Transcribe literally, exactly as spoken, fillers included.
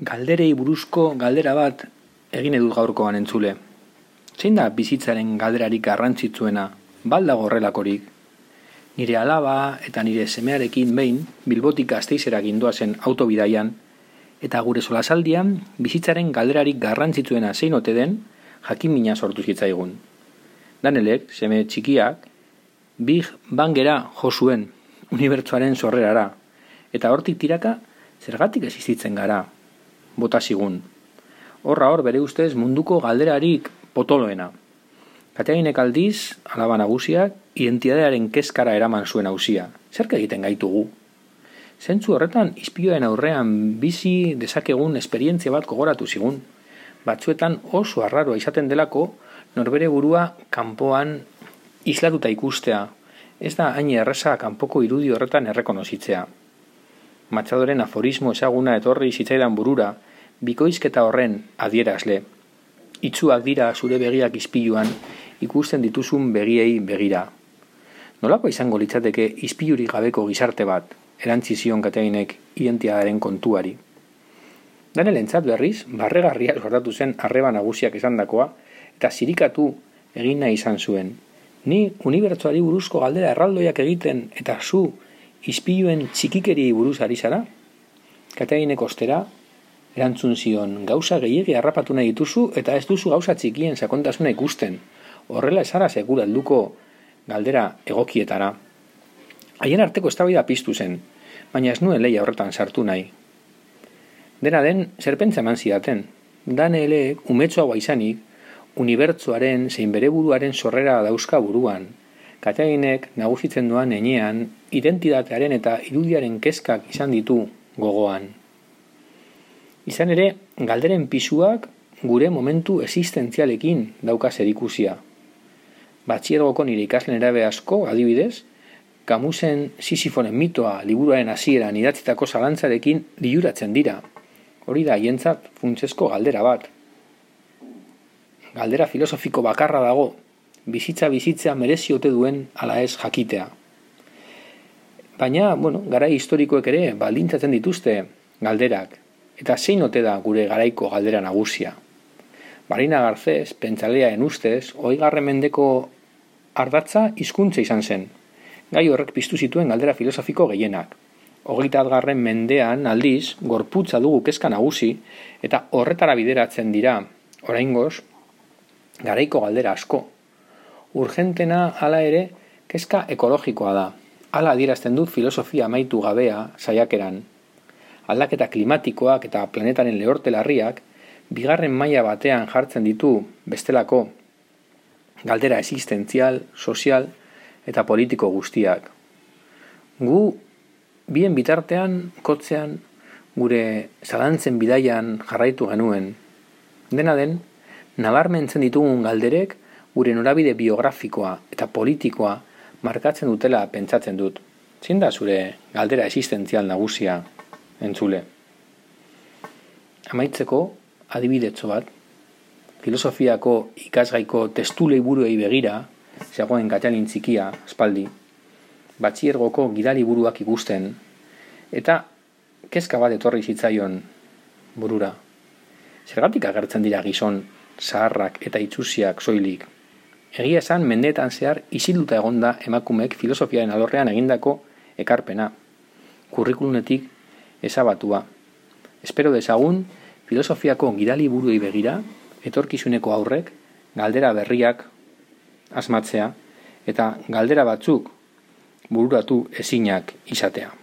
Galderei buruzko galdera bat egin edut gaurkoan entzule. Zein da bizitzaren galderarik garrantzitsuena, baldago horrelakorik? Nire alaba eta nire semearekin behin Bilbotik Gasteizera gindoazen autobidaian, eta gure solasaldian bizitzaren galderarik garrantzitsuena zein ote den jakin-mina sortu zitzaigun. Danelek, seme txikiak, Big Bangera jo zuen, unibertsoaren sorrerara, eta hortik tiraka zergatik existitzen gara, bota zigun. Horra hor bere ustez munduko galderarik potoloena. Kateainek aldiz, alaba nagusiak, identitatearen kezkara eraman zuen hausia. Zerk egiten gaitugu? Zentzu horretan, ispioen aurrean bizi dezakegun esperientzia bat gogoratu zigun. Batzuetan oso arraroa izaten delako, norbere burua kanpoan islatuta ikustea. Ez da hain erreza kanpoko irudi horretan errekonozitzea. Matxadoren aforismo ezaguna etorri zitzaidan burura, bikoizketa horren adierazle. Itzuak dira zure begiak ispiluan, ikusten dituzun begiei begira. Nolako izango litzateke ispilurik gabeko gizarte bat, erantzi zion Kateainek identitatearen kontuari. Danelentzat berriz, barregarria sortatu zen arreba nagusiak esandakoa, eta zirikatu egin nahi izan zuen. Ni unibertsoari buruzko galdera erraldoiak egiten eta zu ispiluen txikikeri buruz ari zara? Kateainek ostera, erantzun zion, gauza gehiegi harrapatu nahi dituzu eta ez duzu gauza txikien sakontasuna ikusten. Horrela esara sekura helduko galdera egokietara. Haien arteko eztabaida piztu zen, baina ez nuen lehia horretan sartu nahi. Dena den, zer pentsa eman zidaten. Daneleek, umetxoagoa izanik, unibertsoaren zein bere buruaren sorrera dauzka buruan. Kateainek nagusitzen doan enean, identitatearen eta irudiaren kezkak izan ditu gogoan. Izan ere, galderen pisuak gure momentu existentzialekin dauka zerikusia. Batxiergoko nire ikaslen erabe asko, adibidez, Camusen Sisifonen mitoa liburuaren hasieran idatzitako zalantzarekin liuratzen dira. Hori da haientzat funtsezko galdera bat. Galdera filosofiko bakarra dago, bizitza bizitzea merezi ote duen ala ez jakitea. Baina, bueno, garai historikoek ere baldintzatzen dituzte galderak, eta zein ote da gure garaiko galdera nagusia. Marina Garcés, pentsaleaen ustez, hogeigarren mendeko ardatza hizkuntza izan zen. Gai horrek piztu zituen galdera filosofiko gehienak. Hogeitagarren mendean aldiz, gorputza dugu kezka nagusi, eta horretara bideratzen dira, oraingoz, garaiko galdera asko. Urgentena hala ere, kezka ekologikoa da. Hala adierazten du filosofia amaitu gabea saiakeran. Aldaketa klimatikoak eta planetaren lehorte larriak bigarren maila batean jartzen ditu bestelako galdera existentzial, sozial eta politiko guztiak. Gu bien bitartean, kotzean, gure zalantzen bidaian jarraitu genuen. Dena den, nabarmentzen ditugun galderek gure norabide biografikoa eta politikoa markatzen dutela pentsatzen dut. Zein da zure galdera existentzial nagusia, entzule? Amaitzeko, adibidetxo bat, filosofiako ikasgaiko testu liburuei begira, zegoen Kateain txikia, aspaldi, batxiergoko gidaliburuak ikusten, eta kezka bat etorri zitzaion burura. Zergatik agertzen dira gizon zaharrak eta itsusiak soilik? Egia esan mendeetan zehar isilduta egonda emakumeek filosofiaren alorrean egindako ekarpena, kurrikulunetik ezabatua. Espero dezagun filosofiako gidaliburuei begira, etorkizuneko aurrek galdera berriak asmatzea eta galdera batzuk bururatu ezinak izatea.